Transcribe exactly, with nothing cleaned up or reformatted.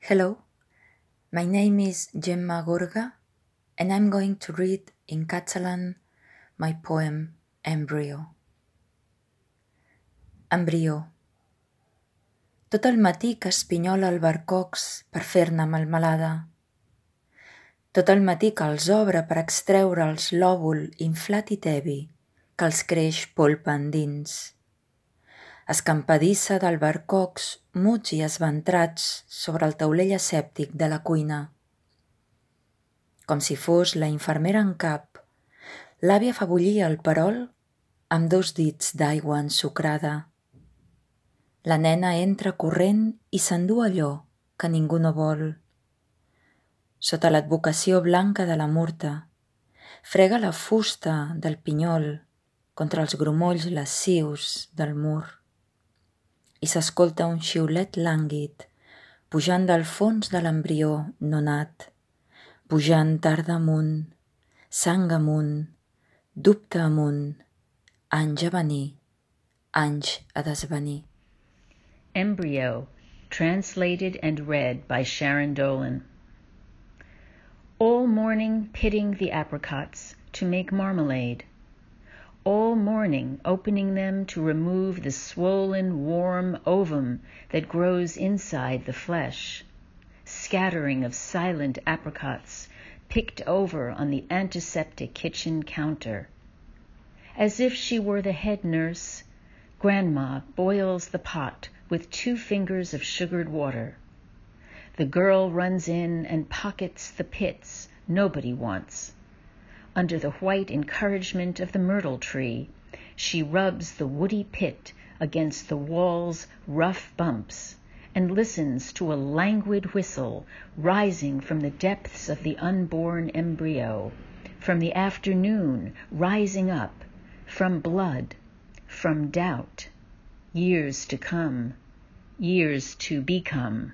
Hello, my name is Gemma Gorga, and I'm going to read in Catalan my poem Embryo. Embrió. Tot el matí que espinyola albercocs per fer-ne melmelada. Tot el matí que els obre per extreure'ls l'òvul inflat i tebi que els creix polpa endins. Escampadissa d'albercocs muts i esventrats sobre el taulell asèptic de la cuina. Com si fos la infermera en cap, l'àvia fa bullir el perol amb dos dits d'aigua ensucrada. La nena entra corrent i s'endú allò que ningú no vol. Sota l'advocació blanca de la murta, frega la fusta del pinyol contra els grumolls lascius del mur. I s'escolta un xiulet lànguid pujant del fons de l'embrió no nat, pujant tarda amunt, sang amunt, dubte amunt, anys a venir, anys a desvenir. Embryo, translated and read by Sharon Dolan. All morning pitting the apricots to make marmalade. All morning opening them to remove the swollen, warm ovum that grows inside the flesh. Scattering of silent apricots picked over on the antiseptic kitchen counter. As if she were the head nurse, Grandma boils the pot with two fingers of sugared water. The girl runs in and pockets the pits nobody wants. Under the white encouragement of the myrtle tree, she rubs the woody pit against the wall's rough bumps and listens to a languid whistle rising from the depths of the unborn embryo, from the afternoon rising up, from blood, from doubt, years to come, years to become.